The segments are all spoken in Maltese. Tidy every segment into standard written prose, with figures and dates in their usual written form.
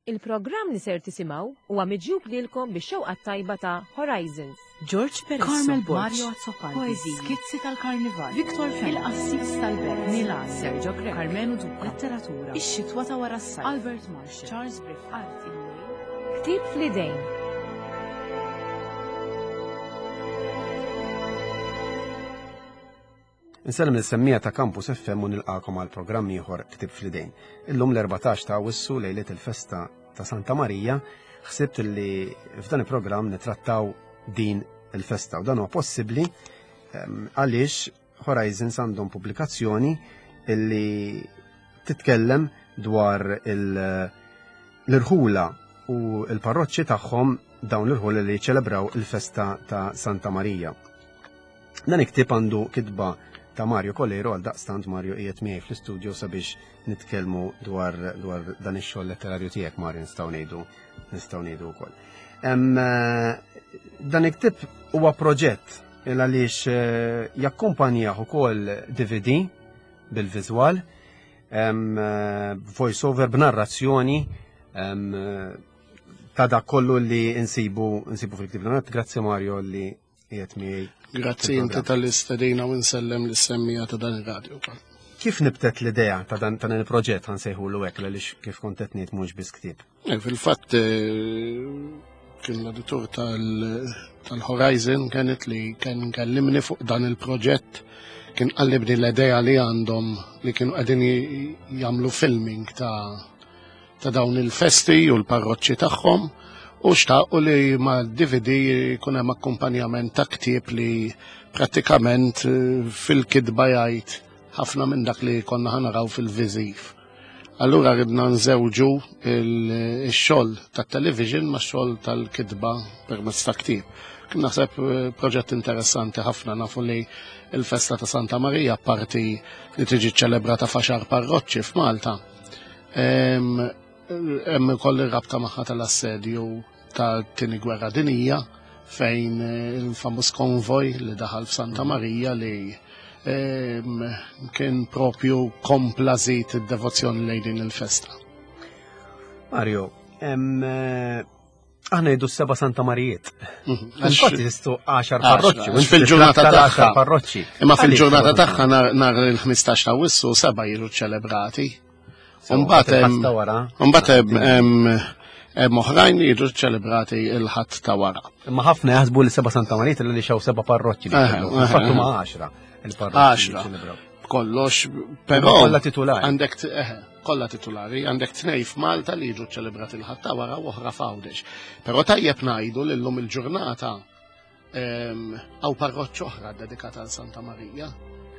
Il-programm li ser tisimgħu huwa miġjub lilkom bix-xewqa t-tajba ta' Horizons. George Peresso, Carmel Borg, Mario Azzopardi, Poeżiji, Skizzi tal-Karnival, Victor Fenech, Il-Qassis tal-Belt, Milan, Sergio Grech, Karmenu Duca, Letteratura, Ix-Xitwa ta' wara s-sajf, Albert Marshall, Charles Griffin, Arti, Il-Lejl, Ktieb fl-idejn. Insellem lis-semmiegħa ta' Campus FM u nilqakom għal programm ieħor Ktib fl-idejn. Illum l-14 ta' Awwissu lejliet il-festa ta' Santa Marija, ħsibt li f'dan il-programm nitrattaw din il-festa u dan huwa possibbli ehm, għaliex Horizons għandhom pubblikazzjoni illi titkellem dwar l-irħula u l-parroċċi tagħhom dawn l-irħula li ċelebraw il-festa ta' Santa Marija. Dan il-ktieb għandu kitba ta' Mario Kolero għal daqstant Mario qiegħed miegħi fl-istudio sabiex nitkellmu dwar, dwar dan ix-xogħol letterarju tiegħek Mario nistgħu ngħidu nistgħu ngħidu wkoll. Eh, dan il-ktieb huwa proġett il għaliex eh, jakkumpanjah ukoll DVD bil-viżwal, eh, voice over b'narrazzjoni ta' dak kollu li nsibu nsibu fil-ktieb. Grazzi Mario li qiegħed miegħi. Grazzi inti tal-istedina u nsellem lis-semmija ta' dan ir-radju wkoll. Kif nibtet l-idea ta' dan ta' il-proġett ħansejħulu hekk għaliex kif kont qed ngħid mhux biss ktieb? Eh, fil-fatt eh, kien l-editur tal-Horizon kienet li kien kellimni fuq dan il-proġett kien qallibni l-idea li għandhom li kienu qegħdin jagħmlu filming ta' ta' dawn il-festi u l-parroċċi tagħhom u xtaqu li ma' DVD jkun hemm akkumpanjament ta' ktieb li prattikament eh, fil-kitba jgħid ħafna minn dak li konna ħanaraw fil-viżiv. Allura ridna nżewġu il-xogħol tat-television ma' xogħol tal-kitba permezz ta' ktieb. Kien naħseb eh, proġett interessanti ħafna nafu li il-festa ta' Santa Marija parti li tiġi ċelebrata f'għaxar parroċċi f'Malta Hemm ukoll ir-rabta magħha tal-assedju tat-Tieni Gwerra Dinija fejn eh, il-famuż konvoj li daħal f'Santa Marija li kien propju kompla żid id-devozzjoni lejn din il-festa. Mario, eh, Aħna jiddu seba Santa Marijiet. Mhm. Infatti jistu 10 parroċċi. Fil-ġurnata tagħha parroċċi. Imma fil-ġurnata tagħha nhar il-15 ta' wissu seba' jiġu ċelebrati. Mbagħad mbagħad hemm oħrajn li jiġu ċelebrati il-ħadd ta' wara. Imma ħafna jaħsbu li seba' Santa Marijiet li xew seba' parroċċi. Infatti ma' 10 il-parroċċi. 10. Kollox, però. Kollha titulari. Għandek kollha titulari, għandek tnej f'Malta li jiġu ċelebrati l-ħadd ta' wara u oħra f'Għawdex. Però tajjeb ngħidu li llum il-ġurnata hawn parroċċa oħra dedikata għal Santa Marija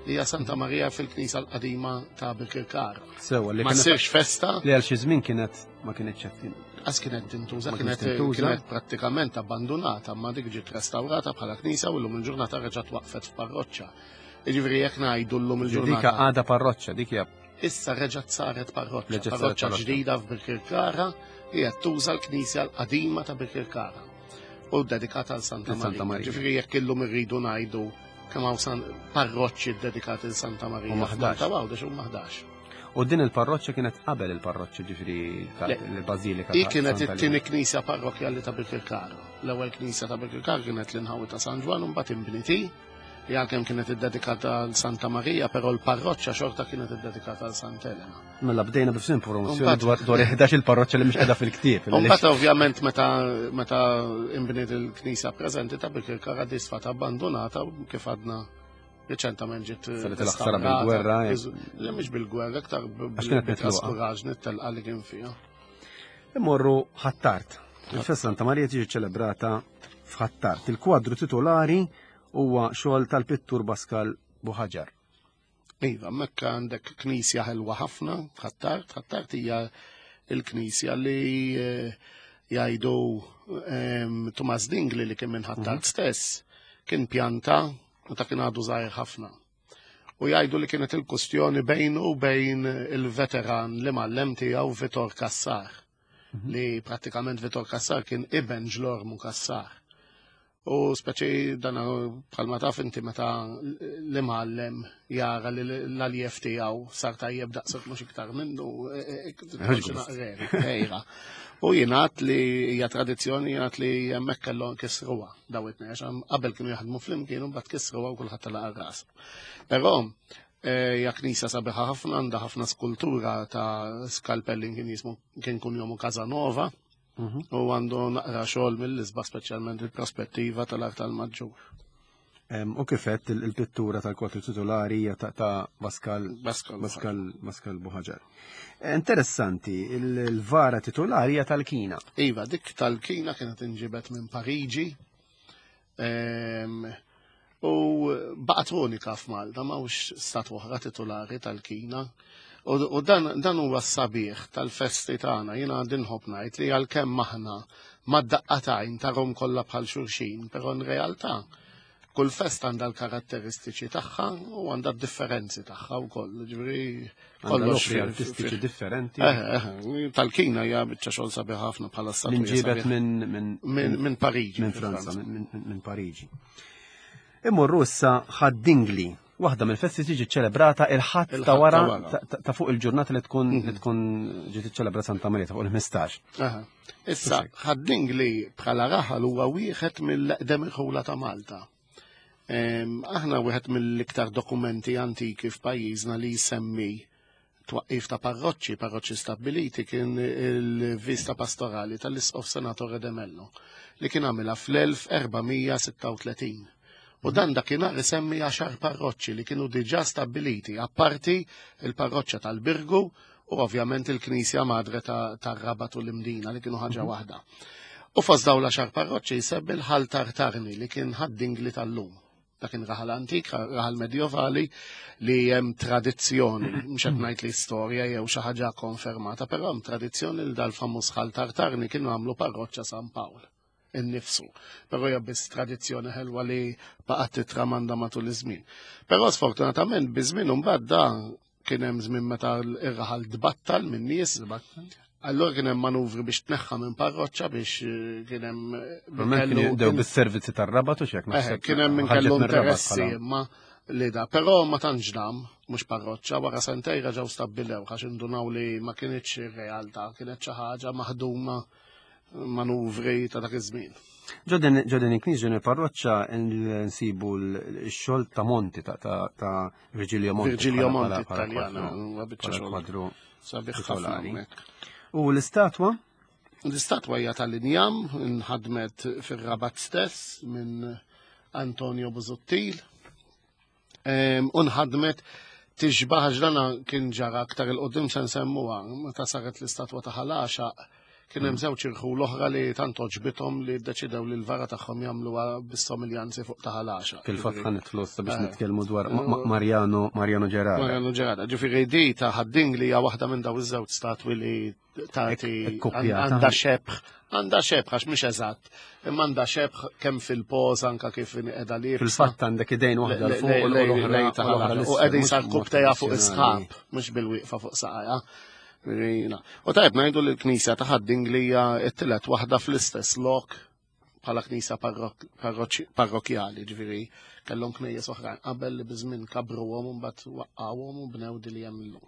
li hija Santa Marija fil-Knisja l-qadima ta' Birkirkara. Sewa li ma ssirx festa. Li għal xi żmien kienet ma kienetx qed Qas kienet tintuża, kienet kienet prattikament abbandunata, ma dik ġiet restawrata bħala knisja u llum il-ġurnata reġgħet waqfet f'parroċċa. Jiġifieri jekk ngħidu llum il-ġurnata. Dik għadha parroċċa, dik hija Issa reġgħet saret parroċċa, parroċċa ġdida f'Birkirkara li qed tuża l-knisja l-qadima ta' Birkirkara u dedikata għal Santa Marija. Ġifieri jekk illum irridu ngħidu kemm hawn parroċċi dedikati l Santa Marija. Malta Għawdex huma 11. U din il-parroċċa kienet qabel il-parroċċa ġifieri tal-Bażilika. Hi kienet it-tieni knisja parrokkjali ta' Birkirkara. L-ewwel knisja ta' Birkirkara kienet l-inħawi ta' San Ġwann u mbagħad inbniet li għalkemm kienet iddedikata għal Santa Marija, però l-parroċċa xorta kienet iddedikata għal Santa Elena. Mela bdejna b'fsim promozzjoni dwar dwar 11 il-parroċċa li mhux qiegħda fil-ktieb. Mbagħad ovvjament meta meta inbniet il-knisja preżenti ta' Bikirkara disfat abbandonata kif għadna riċentament ġiet Saret il-ħsara bil-gwerra. Eh. Le mhux bil-gwerra, aktar bil-traskuraġni telqa li kien fiha. Immorru ħattart. Il-festa Santa Marija tiġi ċelebrata f'Ħattart. Il-kwadru titolari huwa xogħol tal-pittur Baskal Buħaġar. Iva, mekka għandek knisja ħelwa ħafna, Ħattart, Ħattart hija il-knisja li eh, jgħidu ehm, Tumas Dingli li kien minn Ħattart mhm. stess, kien pjanta meta kien għadu żgħir ħafna. U jgħidu li kienet il-kustjoni bejnu u bejn il-veteran li mallem tiegħu Vitor Kassar, mhm. li prattikament Vitor Kassar kien iben ġlormu Kassar. U speċi dan bħalma taf inti meta l-imgħallem jara li l-aljef tiegħu sar tajjeb daqshekk mhux iktar minnu. E, e, e, u jingħad li hija tradizzjoni jingħad li hemmhekk kellhom kisruha daw it-tnejn għax qabel kienu jaħdmu flimkien u mbagħad kisruha u kulħadd telaq ras. Però hija knisja sabiħa ħafna għandha ħafna skultura ta' skalpellin kien jismu kien kun jomu Casanova. U għandu naqra xogħol mill-isbaħ speċjalment il-prospettiva tal-art tal-maġġur. U kifet il-pittura tal-kwatru titolari hija ta' Pascal Pascal Pascal Buħaġar. Interessanti, il-vara titolari hija tal-Kina. Iva, dik tal-Kina kienet inġibet minn Pariġi. U baqgħet unika f'Malta, m'hawnx statwa oħra titulari tal-Kina. U dan, dan huwa s-sabiħ tal-festi tagħna, jiena għandi nħobb ngħid li għalkemm aħna mad-daqqatajn tarhom kollha bħal xulxin, però in realtà kull festa għandha l-karatteristiċi tagħha u għandha d-differenzi tagħha wkoll. Ġifieri kollox artistiċi differenti. Eh, eh, tal-Kina hija biċċa xogħol sabiħ ħafna bħala statwa. Inġibet minn Pariġi. Minn Franza, minn Pariġi. Immorru issa ħad-dingli. Waħda mill-festi tiġi ċelebrata il-ħadd ta' wara ta' fuq il-ġurnata li tkun li mhm. tkun ġiet iċċelebra Santa Marija ta' fuq il-15. Issa ħad-dingli bħala raħal huwa wieħed mill-eqdem irħula ta' Malta. Aħna wieħed mill-iktar dokumenti antiki f'pajjiżna li jsemmi twaqqif ta' parroċċi, parroċċi stabbiliti kien il-vista pastorali tal-Isqof Senatore De Mello li kien għamilha fl-1436. U dan dakinhar isemmi għaxar parroċċi li kienu diġà stabbiliti, apparti il-parroċċa tal-Birgu u ovvjament il-Knisja Madre tar-Rabat u l-Imdina li kienu ħaġa mhm. waħda. U fost dawn l-għaxar parroċċi jsemmi l-Ħal Tartarni li kien ħad-dingli tal-lum. Dak kien raħal antik, raħal medjovali li hemm tradizzjoni, mhux qed ngħid li storja jew xi ħaġa konfermata, però hemm tradizzjoni li dal-famuż ħal Tartarni kienu għamlu parroċċa San Pawl innifsu. Però hija biss tradizzjoni ħelwa li baqgħet titramanda matul iż-żmien. Però sfortunatament biż-żmien imbagħad da kien hemm żmien meta r-raħal tbattal minn nies. Allora kien hemm manuvri biex tneħħa minn parroċċa biex eh, kien hemm. Eh, kien jibdew bis-servizzi tar-rabat u xek naħseb. Eh, kien hemm min kellu interessi imma li da, però ma tantx dam, mhux parroċċa, wara sentej reġgħu stabbilew għax indunaw li ma kienitx ir-realtà, kienet xi ħaġa maħduma manuvri ta' dak iż-żmien. Ġodin il-knisja ġodin il-parroċċa nsibu l-xogħol ta' Monti ta' Virgilio Monti. Virgilio Monti Italjana, biċċa kwadru sabiħ ħafna. U l-istatwa? L-istatwa hija tal-injam, nħadmet fir-Rabat stess minn Antonio Busuttil. U nħadmet tixbaħ għax dana kien ġara aktar il-qoddim se nsemmuha meta saret l-istatwa ta' ħalaxa kien hemm żewġ irħul oħra li tant oġbithom li ddeċidew li l-vara tagħhom jagħmluha bis-somiljanzi fuq ta' ħalaxa. Fil-fatt ħa nidħlu issa biex eh. nitkellmu dwar Mariano Mariano Gerarda. Mariano Gerarda, ġifieri di ta' ħadding li hija waħda minn daw iż-żewġ statwi li tagħti għandha xebħ, għandha xebħ għax mhix eżatt, imma għandha xebħ kemm fil-poż anka kif qiegħda li. Fil-fatt għandek idejn waħda l fuq u l-oħra u qegħdin sar kubtejha fuq is-sħab, mhux bil-wieqfa fuq saqajha. U tajb ngħidu li l-knisja ta' Ħad-Dingli hija t-tielet waħda fl-istess lok bħala knisja parrokjali, ġifieri kellhom knejjes oħrajn qabel li biż-żmien kabruhom u mbagħad waqqgħuhom u bnew di li hemm illum.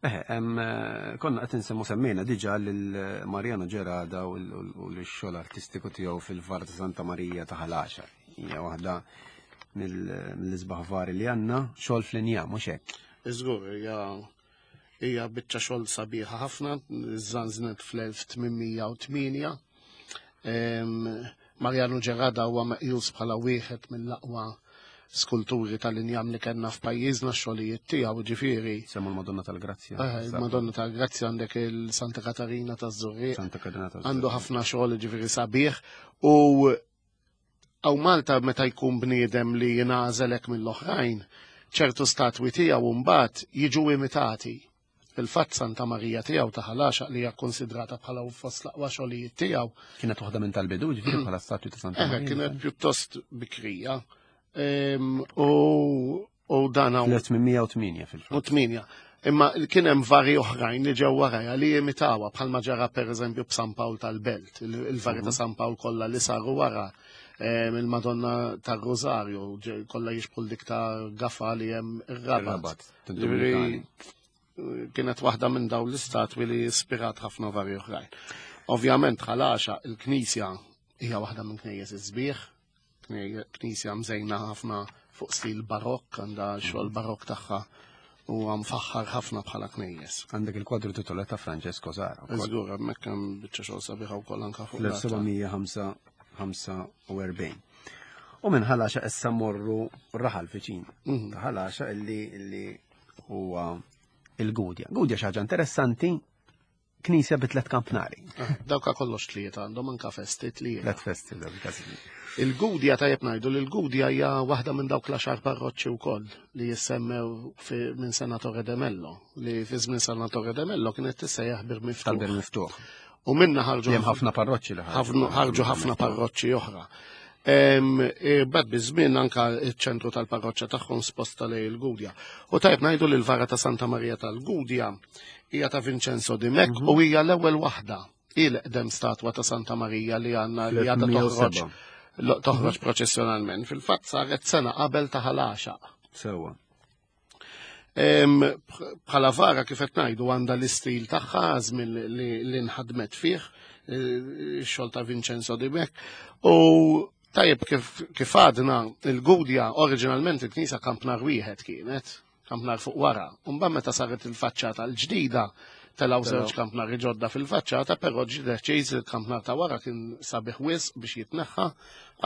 Eh, eh, konna qed insemmu semmejna diġà lil Mariano Gerada u l-xogħol artistiku tiegħu fil-Var ta' Santa Marija ta' Ħal Hija waħda mill-isbaħ vari li għandna xogħol fl-inja, mhux hekk. Iżgur, hija hija biċċa xogħol sabiħa ħafna, żanżnet fl-1808. Mariano Gerada huwa meqjus bħala wieħed mill-aqwa skulturi tal-injam li kellna f'pajjiżna x-xogħlijiet tiegħu ġifieri. Semmu l-Madonna tal-Grazzja. Eh, il-Madonna tal-Grazzja għandek il-Santa Katarina taż-Żurrieq. Santa Katarina taż Għandu ħafna xogħol ġifieri sabiħ u għaw Malta meta jkun bniedem li jingħażelek mill-oħrajn, ċertu statwi tiegħu mbagħad jiġu imitati. Fil-fatt Santa Marija tiegħu ta' Ħal Għaxaq li hija kkunsidrata bħala fost l-aqwa xogħlijiet tiegħu. Kienet waħda minn tal-bidu, ġifieri bħala statwi ta' Santa Marija. Kienet pjuttost bikrija. U dan hawn. 1808 fil-fatt. U 8. Imma kien hemm vari oħrajn li ġew warajha li imitawha bħalma ġara pereżempju b'San Pawl tal-Belt, il-vari ta' San Pawl kollha li saru wara il-Madonna tar-Rosario kollha jixbħu dik ta' Gafa li hemm ir-Rabat. Ġifieri kienet waħda minn dawn l-istatwi li ispirat ħafna vari oħrajn. Ovvjament ħalaxa il-Knisja hija waħda minn knejjes iż-sbieħ, knisja mżejna ħafna fuq stil barokk, għandha xogħol barokk tagħha u mfaħħar ħafna bħala knejjes. Għandek il-kwadru titola ta' Francesco Zara. Żgur, hemmhekk hemm biċċa xogħol sabiħa wkoll anke fuq. L-1745. U minn ħalaxa issa morru raħal viċin. Ta' ħalaxa illi huwa il-Gudja. Gudja xi ħaġa interessanti, knisja bi tliet kampnari. Ah, dawka kollox tliet għandhom anka festi tliet. Tliet festi dawk il-każijiet. Il-Gudja tajjeb ngħidu li l-Gudja hija waħda minn dawk l-għaxar parroċċi wkoll li jissemmew minn Senatore de Mello, li fi żmien Senatore de Mello kienet tissejjaħ Bir Miftuħ. Tal-Bir Miftuħ. U minna ħarġu Hemm ħafna parroċċi li ħarġu ħafna parroċċi oħra. Bad biż-żmien anka ċ-ċentru tal-parroċċa tagħhom sposta lej il-Gudja. U tajb ngħidu li l-vara ta' Santa Maria tal-Gudja hija ta' Vincenzo Di Mec u hija l-ewwel waħda il-qdem statwa ta' Santa Maria li għandna li għadha toħroġ toħroġ proċessjonalment. Fil-fatt saret sena qabel ta' ħalaxa. Sewwa. Bħala vara kif qed ngħidu għandha l-istil tagħha żmien li nħadmet fih, ix-xogħol ta' Vincenzo Di Mec. U tajjeb kif għadna il-Gudja oriġinalment il-knisja kampnar wieħed kienet, kampnar fuq wara. U mbagħad meta saret il-faċċata l-ġdida telgħu żewġ kampnari ġodda fil-faċċata, però ġie deċiż il-kampnar ta' wara kien sabiħ wisq biex jitneħħa,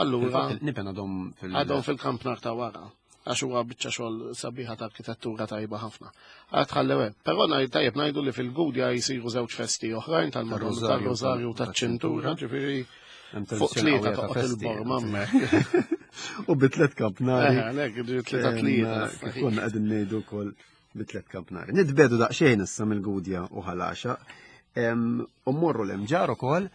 allura Nipen għadhom fil- għadhom fil-kampnar ta' wara. Għax huwa biċċa xogħol sabiħa ta' arkitettura tajba ħafna. Għad ħallew hemm. Però tajjeb ngħidu li fil-Gudja jsiru żewġ festi oħrajn tal-Madonna Tar-Rożarju tal-Rożarju taċ-Ċintura, ġifieri Hemm fuq tradizzjoni tlieta qawwija ta' toqgħod festi. il-borma hemmhekk. U bi tliet kampnari. Eh, għalhekk, ġifieri tlieta tlieta. Kif konna qegħdin ngħidu wkoll bi tliet kampnari. Nitbedu daqsxejn issa mill-Gudja u Ħalaxa. U mmorru l-Imġar ukoll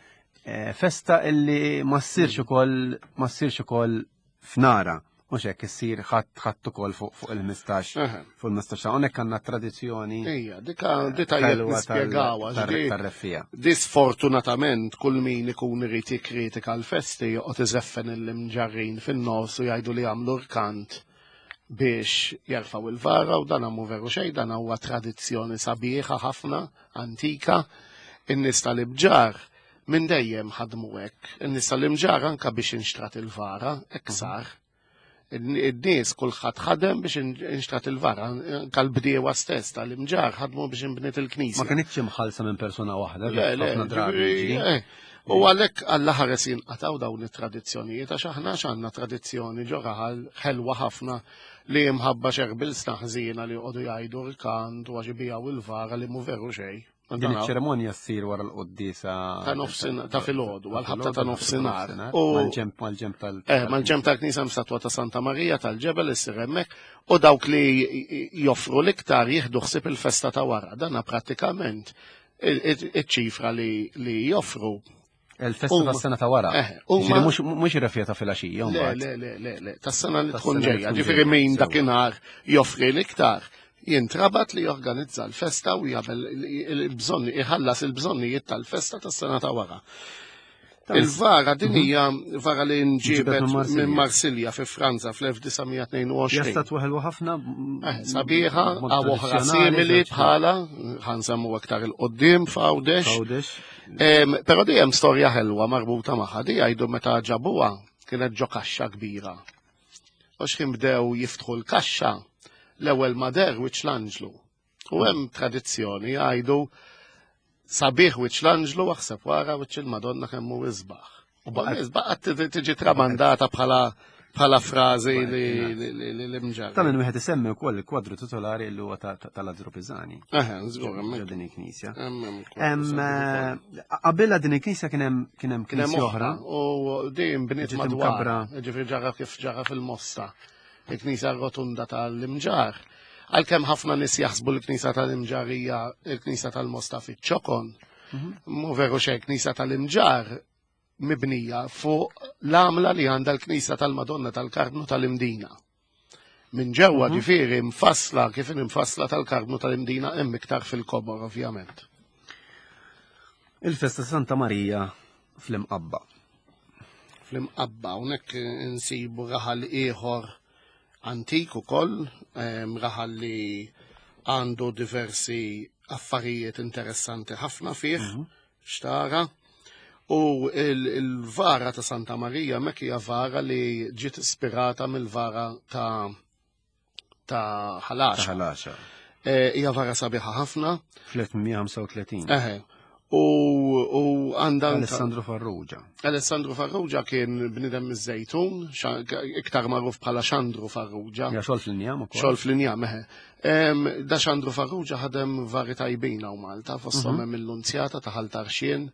festa illi ma ssirx ukoll ma ssirx ukoll f'nara. Mhux hekk issir ħadd ukoll fuq il-15. Fuq il-15 hawnhekk għandna tradizzjoni. Ejja, dika di tajjeb ħelwa nispjegawha, ġifieri tar-reffija. Di sfortunatament kull min ikun irid jikkritika l-festi joqgħod iżeffen il-imġarrin fin-nofs u jgħidu li jagħmlu rkant biex jerfgħu il-vara u dan mhu veru xejn, dan huwa tradizzjoni sabiħa ħafna, antika. In-nies tal-Imġarr minn dejjem ħadmu hekk. In-nies tal-Imġarr anka biex inxtrat il-vara, hekk sar. In-nies kulħadd ħadem biex inxtrat il-vara, anka l-bdiewa stess tal-Imġarr ħadmu biex inbniet il-knisja. Ma kinitx imħallsa minn persuna waħda, Le, le, ħafna drabi ġifieri, jiġri. U għalhekk Alla ħares jinqataw dawn it-tradizzjonijiet għax aħna għandna tradizzjoni ġo raħal ħelwa ħafna li mħabba xerbil snaħżina li joqogħdu jgħidu rkant u għax ibijaw il-vara li mhu veru xejn. Din iċ-ċerimonja ssir wara l-quddiesa Ta' nofsin, ta' filgħodu, għal-ħabta ta' nofsinhar. U mal-ġemp, mal-ġemp tal- Mal-ġemp tal-knisja hemm statwa ta' Santa Marija tal-ġebel issir hemmhekk u dawk li joffru l-iktar jieħdu ħsieb il-festa ta' wara. Dana prattikament iċ-ċifra li joffru. Il-festa tas-sena ta' wara. Huma Ġifieri mhux ir-refja ta' filgħaxija, Le, mbagħad. le, le, le, le, tas-sena li Tas-sena tkun li ġejja. tkun Ġifieri ġejja, min sewwa. dakinhar joffri l-iktar jintrabat li jorganizza l-festa u jagħmel il-bżonni, iħallas il-bżonnijiet tal-festa tas-sena ta' wara. Il-vara din hija vara li nġibet Nġibet minn Marsilja. minn Marsilja fi Franza fl-1922. Hija statwa ħelwa ħafna, Sabiħa, mod għaw oħra tradizzjonali, simili żewġ bħala, ħansemmu aktar il-qoddim f'Għawdex. Għawdex. Però di hemm storja ħelwa marbuta magħha, di jgħidu meta ġabuha kienet ġo kaxxa kbira. U x'ħin bdew jiftħu l-kaxxa, l-ewwel ma der wiċċ l-anġlu. U hemm tradizzjoni jgħidu sabiħ wiċċ l-anġlu aħseb wara wiċċ il-Madonna kemm hu isbaħ. U baqgħet tiġi tramandata bħala frażi li mġarra. Ta' minn wieħed isemmi wkoll il-kwadru titolari li huwa ta' Lazzaro Pisani. Eħe, żgur, hemmhekk. Ġo din il-knisja. Hemm, hemm kwadru sabiħ ukoll. Qabilha din il-knisja kien hemm kien hemm Kien hemm knisja oħra. U din bniet Ġiet madwar. imkabbra. Ġifieri ġara kif ġara fil-Mosta. Il-knisja rotunda tal-Imġarr. Għalkemm ħafna nies jaħsbu l-knisja tal-Imġarr hija l-knisja tal-Mosta fiċ-Ċokon. Mhu veru xejn, knisja tal-Imġarr mibnija fuq l-għamla li għandha l-knisja tal-Madonna tal-Karmnu tal-Imdina. Minn ġewwa ġifieri mfassla kif inhi mfassla tal-Karmnu tal-Imdina, hemm iktar fil-kobor, ovvjament. Il-festa Santa Marija fl-Imqabba. Fl-Imqabba, hawnhekk insibu raħal ieħor antik ukoll, raħal li għandu diversi affarijiet interessanti ħafna fih, xtara. U il-vara ta' Santa Marija mek hija vara li ġiet ispirata mill-vara ta' Ħal Għaxaq. Ta' Ħal Għaxaq. Hija vara sabiħa ħafna. Fl-1835. Eħe. U għandha Alessandro Farrugia. Alessandro Farrugia kien bnidem miż-Żejtun, iktar magħruf bħala Xandru Farrugia. Ja, xogħol fl-injam ukoll. Xogħol fl-injam, eħe. Da Xandru Farrugia ħadem vari tajbin hawn Malta, fosthom hemm il-Lunzjata ta' Ħal Tarxien,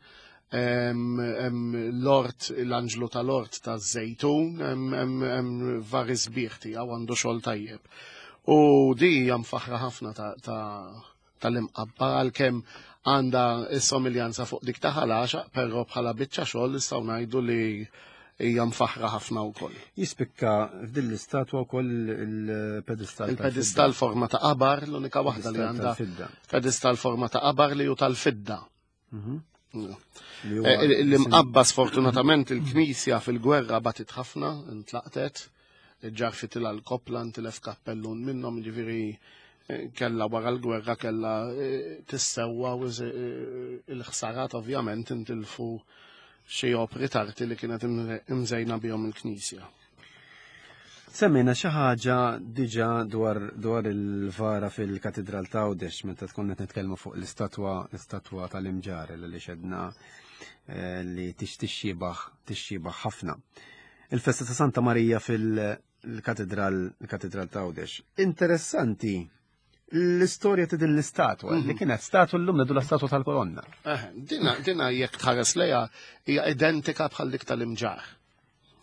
hemm l-Ort, l-Anġlu tal-Ort ta' Żejtun, hemm vari sbieħ tiegħu, għandu xogħol tajjeb. U di hija mfaħra ħafna tal-Imqabba, għalkemm għandha s-somiljanza fuq dik ta' Ħal Għaxaq, però bħala biċċa xogħol nistgħu ngħidu li hija mfaħra ħafna wkoll. Jispikka f'din l-istatwa wkoll il-pedestal. Il-pedestal forma ta' qabar, l-unika waħda li għandha tal-fidda. Pedestal forma ta' qabar li hu tal-fidda. Li huwa L-Imqabba sfortunatament il-knisja fil-gwerra batit ħafna, intlaqtet, ġarfitilha l-koppla, ntilef kappellun minnhom, ġifieri kella wara l-gwerra kella tissewwa u il-ħsarat ovvjament intilfu xi opri tarti li kienet imżejna bihom il-knisja. Semmejna xi ħaġa diġà dwar il-vara fil-Katedral ta' Għawdex meta tkun qed nitkellmu fuq l-istatwa tal-Imġarr li xedna li tixxibaħ ħafna. Il-festa ta' Santa Marija fil-Katedral ta' Għawdex. Interessanti l-istorja ta' din l-istatwa, li kienet statwa l-lum la statwa tal-kolonna. Dina jekk tħares lejha hija identika bħal dik tal-Imġarr.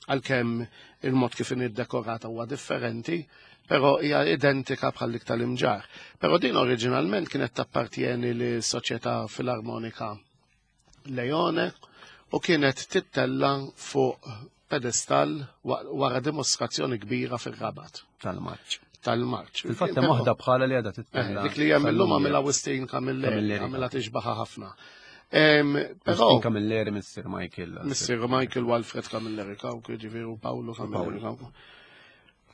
Għalkemm il-mod kif iddekorata huwa differenti, però hija identika bħal dik tal-Imġarr. Però din oriġinalment kienet tappartieni li Soċjetà Filarmonika Leone u kienet tittella fuq pedestal wara dimostrazzjoni kbira fir-Rabat. Tal-marċ. Tal-marċ. Fil-fatt hemm waħda bħala li għadha tittella. Dik li hemm illum għamilha Wistin Camilleri, Camilleri. għamilha tixbaħa ħafna. Però Wistin Camilleri, Mr. Michael. Mr. Michael Walfred Camilleri Cauchi, ġifieri u Paolo Camilleri Cauchi.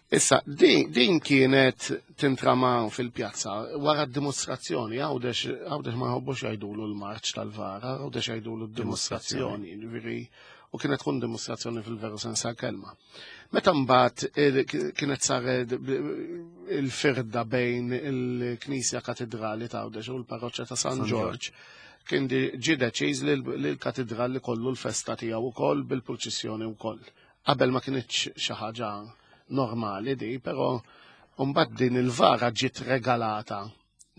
Issa, din kienet tintrama fil-pjazza wara d-dimostrazzjoni, Għawdex ma jħobbux jgħidulu l-marċ tal-vara, Għawdex jgħidulu d-dimostrazzjoni, ġifieri, u kienet tkun dimostrazzjoni fil-veru sens tal-kelma. Meta mbagħad kienet saret il-firda bejn il-Knisja Katedrali ta' Għawdex u l-Parroċċa ta' San San Ġorġ, kien ġie deċiż li l-katedral kollu l-festa tiegħu wkoll bil-purċissjoni wkoll. Qabel ma kienx xi ħaġa normali di, però mbagħad din il-vara ġiet regalata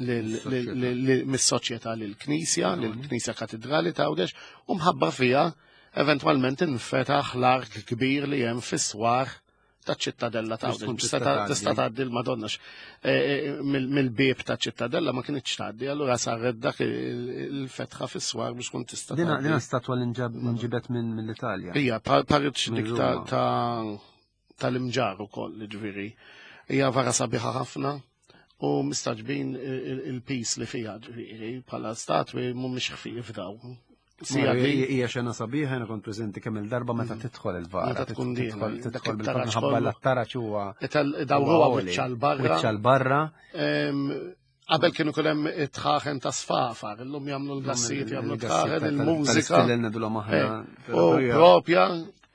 mis-soċjetà lill-Knisja, lill-Knisja Katedrali ta' Għawdex, u mħabba fiha eventwalment infetaħ l-ark kbir li hemm fis-swar ta' ċittadella ta' Biex tkun Għawdex. tista' tgħaddi. Tista' tgħaddi l-Madonna mill-bieb ta' ċittadella ma kienx tgħaddi, allura saret dak il-fetħa fis-swar biex tkun tista' Dina tgħaddi. Dina statwa li nġibet mill-Italja. Hija parriċ Minn dik Ruma. tal-Imġarr ukoll, ġifieri. Hija vara sabiħa ħafna u mistagħġbin il-pis li fiha, ġifieri, bħala statwi mhumiex ħfief daw. Sija Mario, din hija xena sabiħa, jiena kont preżenti kemm il-darba meta tidħol il-vara. Meta tkun dieħla, dak Tidħol it-taraġ bil-ħabba kollu. l-taraġ huwa Dawruha huwa għoli. wiċċa l-barra. Wiċċa l-barra. Qabel kienu kull hemm it-tħaħen ta' sfafar, illum jagħmlu l-gassijiet, jagħmlu Il-gassijiet tħaħen, il-mużika. Tal-istilel ngħidulhom aħna. U propja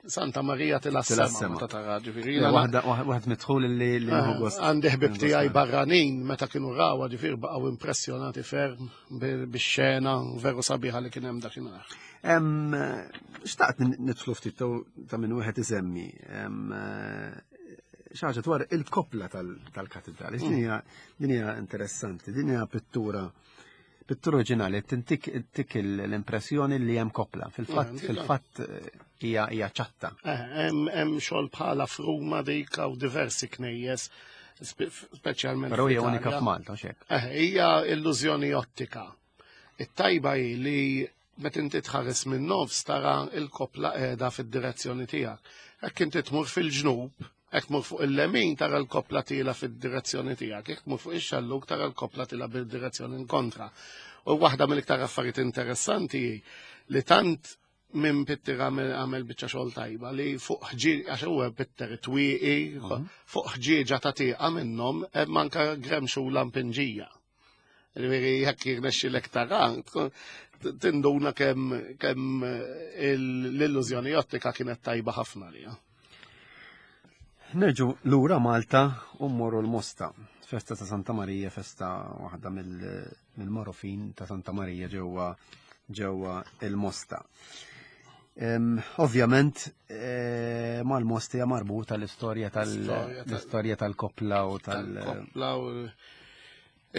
Santa Marija Tila tila s-sema s-sema. meta tara, ġifieri. Waħed midħul li nieħu gost. Għandi ħbib Nieħu tiegħi gost. barranin meta kienu rawha, ġifieri, baqgħu impressjonati ferm bix-xena veru sabiħa li kien hemm dakinhar. Xtaqt nidħlu ftit ta' minn wieħed isemmi xi ħaġa dwar il-koppla tal-katedrali. Din hija interessanti, din hija pittura oriġinali tintik tik l-impressjoni li hemm koppla. Fil-fatt fil-fatt hija ċatta. Hemm xogħol bħala f'Ruma dik hawn diversi knejjes, speċjalment Però hija fl-Italja. unika f'Malta, hux hekk? Hija illużjoni ottika. It-tajba hi li meta inti tħares minn nofs tara il-koppla qiegħda fid-direzzjoni tiegħek. Hekk inti tmur fil-ġnub. Jekk tmur fuq il-lemin tara l-koppla tila fid-direzzjoni tiegħek, jekk tmur fuq ix-xellug tara l-koppla tila bil-direzzjoni kontra. U waħda mill-iktar affarijiet interessanti hi li tant minn pitter għamel biċċa xogħol tajba li fuq ħġieġ għax huwa pitter twieqi fuq ħġieġa ta' tieqa minnhom hemm anke gremxula mpinġija. Ġifieri jekk jirnexxilek tara, tinduna kemm kemm l-illużjoni ottika kienet tajba ħafna lija. Nerġu lura Malta u mmorru l-Mosta. Festa ta' Santa Marija, festa waħda mill-marofin ta' Santa Marija ġewwa ġewwa il-Mosta. Ovvjament, eh, mal-Mosta hija marbuta l-istorja tal-istorja tal-kopla u tal-kopla u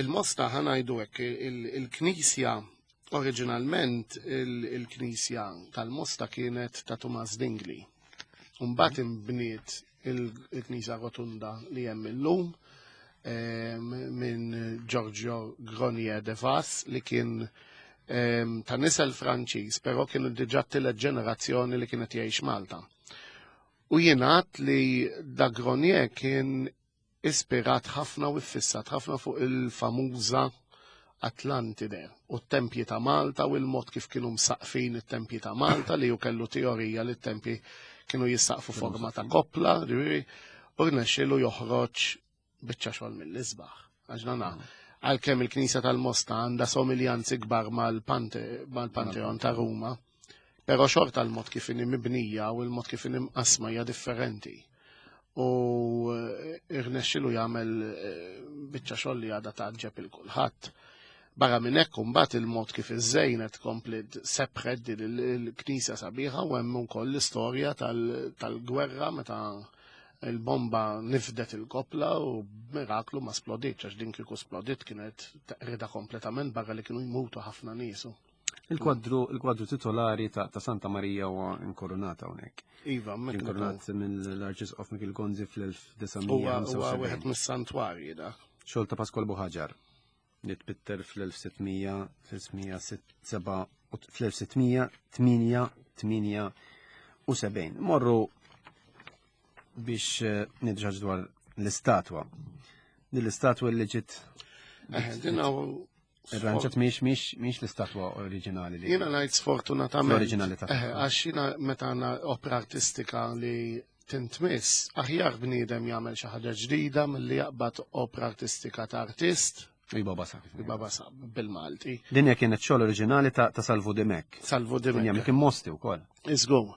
il-Mosta ħanajdu hekk il-Knisja oriġinalment il-Knisja tal-Mosta kienet ta' Tumas Dingli. Mbagħad imbniet il-Knisja Rotunda li hemm illum minn Giorgio Gronier de Vas li kien ta' nisel Franċiż, però kienu diġà tielet ġenerazzjoni li kienet jgħix Malta. U jingħad li da Gronier kien ispirat ħafna u iffissat ħafna fuq il-famuża Atlantide u t-tempji ta' Malta u l-mod kif kienu msaqfin it-tempji ta' Malta li ju kellu teorija li t-tempji kienu jissaqfu forma ta' koppla, ġifieri, u rnexxielu joħroġ biċċa xogħol mill-isbaħ. Għax nana, għalkemm il-Knisja tal-Mosta għandha somiljanzi kbar mal-Panteon ta' Ruma, però xorta l-mod kif inhi mibnija u l-mod kif inhi mqassma hija differenti. U eh, irnexxilu jagħmel eh, biċċa xogħol li għadha tgħaġġeb il kulħadd. Barra minn hekk imbagħad il-mod kif iżżejnet komplet sebħet din il-knisja sabiħa u hemm ukoll l-istorja tal-gwerra meta il-bomba nifdet il-kopla u miraklu ma splodietx għax din kieku splodiet kienet teqrida kompletament barra li kienu jmutu ħafna niesu. Il-kwadru il-kwadru titolari ta', ta Santa Marija huwa inkoronata hawnhekk. Iva, inkoronat mill-Arċisqof Mikil Gonzi fl-1975. Huwa wieħed mis-santwarji dak. Xogħol ta' Pasqual Buħaġar li tpitter fl-1678. Morru biex eh, nidġaġ dwar l-istatwa. Din l-istatwa li ġiet eh, Din Irranġat miex miex miex l-istatwa oriġinali li. Jiena ngħid sfortunatament. L-oriġinali ta' eh, għax jiena meta għandna opra artistika li tintmiss, aħjar bniedem jagħmel xi ħaġa ġdida milli jaqbad opra artistika ta' artist. Iba basa. Iba basa bil-Malti. Din hija kienet xogħol oriġinali ta' Salvu Dimek. Salvu Dimek. Dinja kien mosti wkoll. Iżgur.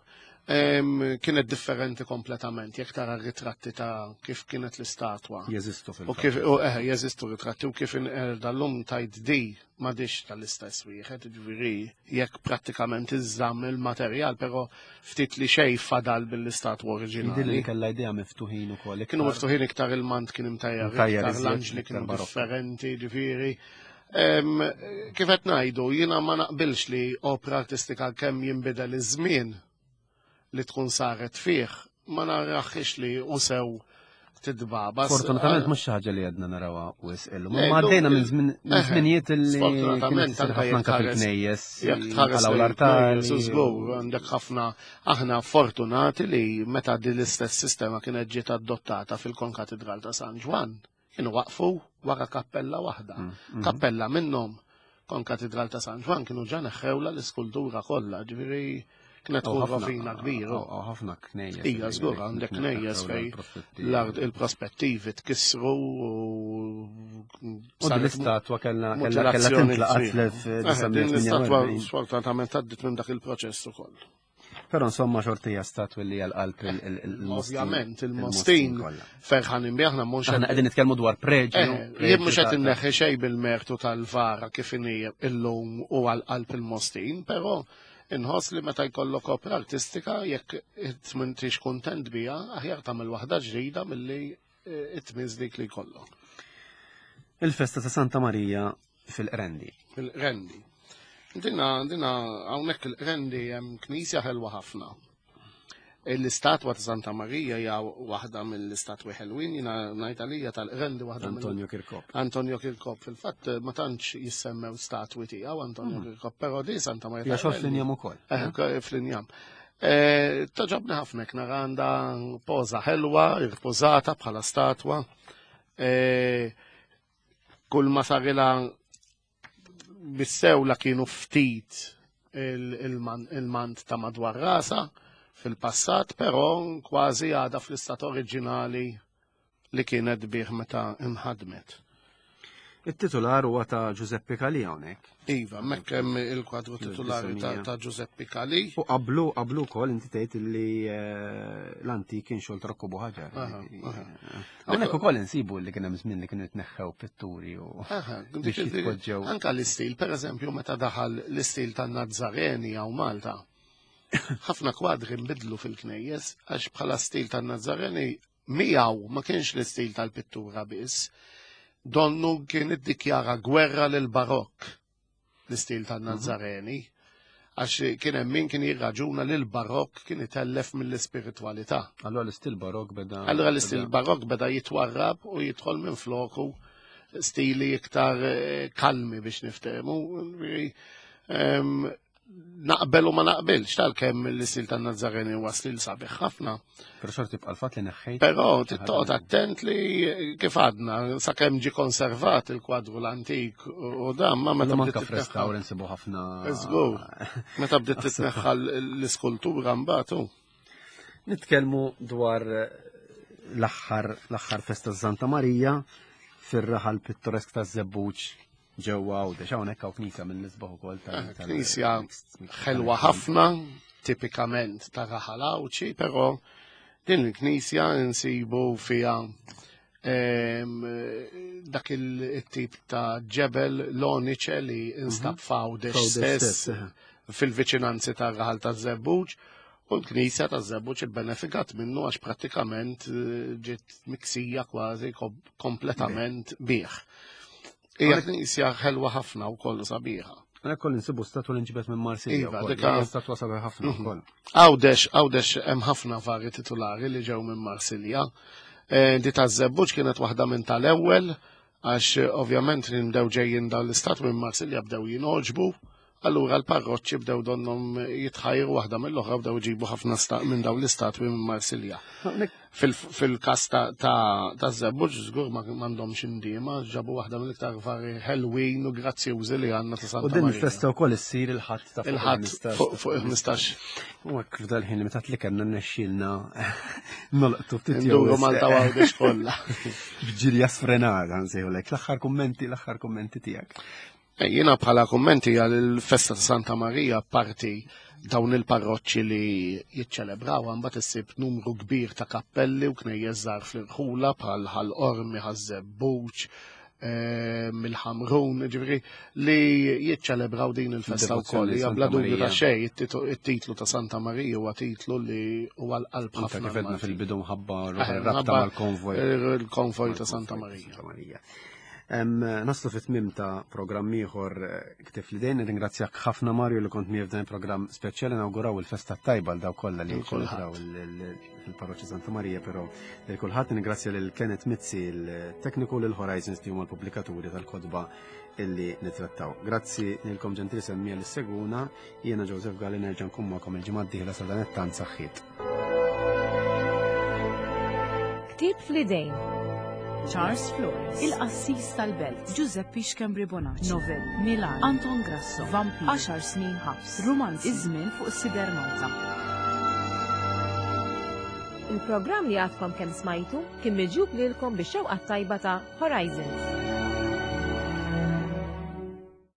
Kienet differenti kompletament, jekk tara ritratti ta' kif kienet l-istatwa. Jeżistu fil U kif, u eh, jeżistu ritratti u kif inqerda l-lum tajt di m'għadix tal-istess wieħed, ġifieri jekk prattikament iżżamm il-materjal, però ftit li xejn fadal bil-istatwa oriġinali. Jidhirli li kellha idea miftuħin ukoll. Kienu miftuħin iktar il-mant kien imtajjar, iktar l-anġli kienu differenti, ġifieri. Kif qed ngħidu, jiena ma naqbilx li opra artistika kemm jinbidel iż-żmien li tkun saret fih, ma naraħx li u sew tidbaba. Fortunatament mhux xi ħaġa li għadna narawha wisq illum. Ma għaddejna minn eh, żminijiet li sfortunatament ħafna anke fil-knejjes. Jekk tħares l-artal. Żgur għandek ħafna aħna fortunati li meta din l-istess sistema kienet ġiet adottata fil-Konkatedral ta' San Ġwann Kienu waqfu wara kappella waħda. Mm, mm. Kappella minnhom kon katedral ta' San Ġwan kienu ġa neħħewla l-iskultura kollha, ġifieri kienet tkun rovina kbira. Ħafna knejjes. Ija, żgur għandek knejjes fej l-art il-prospettivi tkissru u l-istatwa kellha kellha tintlaqat fl-1948. Din l-istatwa sfortunatament għaddit minn dak il-proċess ukoll. Però insomma xortija statwi li għal-qalb il-Mostin. Ovvjament, il-Mostin ferħanin bi aħna mhux. Aħna qegħdin nitkellmu dwar preġju. Eh, jien mhux qed inneħħi xejn bil-mertu tal-vara kif inhi illum u għal-qalb il-Mostin, però inħoss li meta jkollok opra artistika jekk m'intix kuntent biha, aħjar tagħmel waħda ġdida milli eh, it-tmiż dik li jkollok. Il-festa ta' Santa Marija fil-Qrendi. Fil-Qrendi. Dina, dina, hawnhekk il-Qrendi hemm knisja ħelwa ħafna. L-istatwa ta' Santa Marija hija waħda mill-istatwi ħelwin, jiena ngħid għalija tal-Qrendi waħda Antonio Kirkop. Antonio Kirkop, fil-fatt ma tantx jissemmew statwi tiegħu Antonio hmm. Kirkop, però di Santa Marija. Hija xogħol fl-injam ukoll. Eh, eh? fl-injam. Togħġobni ħafna hekk nara għandha poża ħelwa, irpożata bħala statwa. Kull ma sarilha bis-sewla kienu ftit il-mant ta' madwar rasa fil-passat, però kważi għadha fl-istat oriġinali li kienet bih meta inħadmet. It-titular huwa ta' Giuseppe Calì hawnhekk. Iva, hemmhekk hemm il-kwadru titulari ta' Giuseppe Calì. U qablu qablu wkoll inti tgħid li eh, l-antik kien xogħol Rocco Buħaġar. Hawnhekk ukoll insibu li kien hemm żmien li kienu jitneħħew pitturi u biex jitpoġġew. Anka l-istil, pereżempju, meta daħal l-istil tan-Nazzareni hawn Malta. Ħafna kwadri nbidlu fil-knejjes għax bħala stil tan-Nazzareni Miegħu ma kienx l-istil tal-pittura biss. Donnu kien iddikjara gwerra lil barokk l-istil tan-Nazzareni għax kien hemm min kien jirraġuna li l-barokk kien itellef mill-ispiritwalità. Allura l-istil barokk beda. Allura l-istil barokk beda jitwarrab u jidħol minn floku stili iktar eh, kalmi biex niftehmu. Naqbel u ma naqbilx tal-kemm l-istil tan-Nazzareni huwa stil sabiħ ħafna. Però xorti tibqa' l-fatt li neħħejt. Però tittoqgħod attent li kif għadna sakemm ġie konservat il-kwadru l-antik u dan ma meta bdiet titneħħa. insibu ħafna. Żgur. Meta bdiet titneħħa l-iskultura mbagħad. Nitkellmu dwar l-aħħar l-aħħar festa Santa Marija fir-raħal pittoresk taż-Żebbuġ ġewwa Għawdex. Hawnhekk hawn knisja mill-isbaħ ukoll tal eh, Knisja ħelwa ħafna, tipikament ta' raħal Għawdxi, però din il-knisja nsibu fiha ehm, dak il-tip ta' ġebel l-oniċe li instab mhm. f'Għawdex stess eh. fil-viċinanzi ta' raħal ta' Żebbuġ u l-knisja ta' Żebbuġ ibbenefikat minnu għax prattikament eh, ġiet miksija kważi kompletament bih. Hija knisja ħelwa ħafna u kollu sabiħa. Għana koll nsibu statwa li nġibet minn Marsilja. Iva, dika statwa sabiħa ħafna mhm. ukoll. Għawdex, għawdex hemm ħafna vari titulari li ġew minn Marsilja. Eh, di ta' Żebbuġ kienet waħda minn tal-ewwel għax eh, ovvjament li nbdew ġejjin dawn l-istat minn Marsilja bdew jinoġbu Allura l-parroċċi bdew donnhom jitħajru waħda mill-oħra bdew iġibu ħafna minn dawn l-istatwi minn Marsilja. Fil-każ ta' Żebbuġ żgur m'għandhomx indiema, ġabu waħda mill-iktar vari ħelwin u grazzjużi li għandna ta' Santa U din il-festa wkoll issir il-ħadd ta' il-ħadd fuq il-15. U hekk f'dal ħin li meta li kellna nnexxielna nolqtu ftit jew Malta Għawdex kollha. B'ġirja sfrenata nsejħulek. L-aħħar kummenti, l-aħħar kummenti tiegħek. Eh, jiena bħala kummenti għal il-festa ta' Santa Marija parti dawn il-parroċċi li jiċċelebraw mbagħad issib numru kbir ta' kappelli u knejjes żgħar fl-irħula bħal Ħal Qormi, Ħaż-Żebbuġ, eh, mill-Ħamrun, ġifieri li jiċċelebraw din il-festa wkoll. Hija bla dubju ta' xejn it-titlu ta' Santa Marija huwa titlu li huwa l-qalb ħafna. Kif għedna fil-bidu mħabba eh, rabta mal-konvoj. Il-konvoj ta' Santa Marija. Naslu fit tmim ta' programm ieħor eh, ktif li dejn, ringrazzjak ħafna Mario li kont miegħi f'dan il-programm speċjali nawguraw il-festa tajba l daw kollha li ċelebraw il-Parroċċa Santa Marija, però lil kulħadd ningrazzja lil Kenneth Mizzi il-tekniku lil Horizons li huma l-pubblikaturi tal-kotba illi nitrattaw. Grazzi lilkom ġentili semmija li seguna, jiena Joseph Galli nerġa' nkun magħkom il-ġimgħa d-dieħla sa dan it-tant saħħiet. Ktieb fl-idejn. Charles Flores, Il-Qassis tal-Belt, Giuseppe Schembri Bonacci, Novel, Milan, Anton Grasso, Vampir, 10 snin ħabs, Rumanz, Iż-żmien fuq Sider Malta. Il-programm li għadkom kemm smajtu kien miġjub lilkom bix-xewqa tajba ta' Horizons.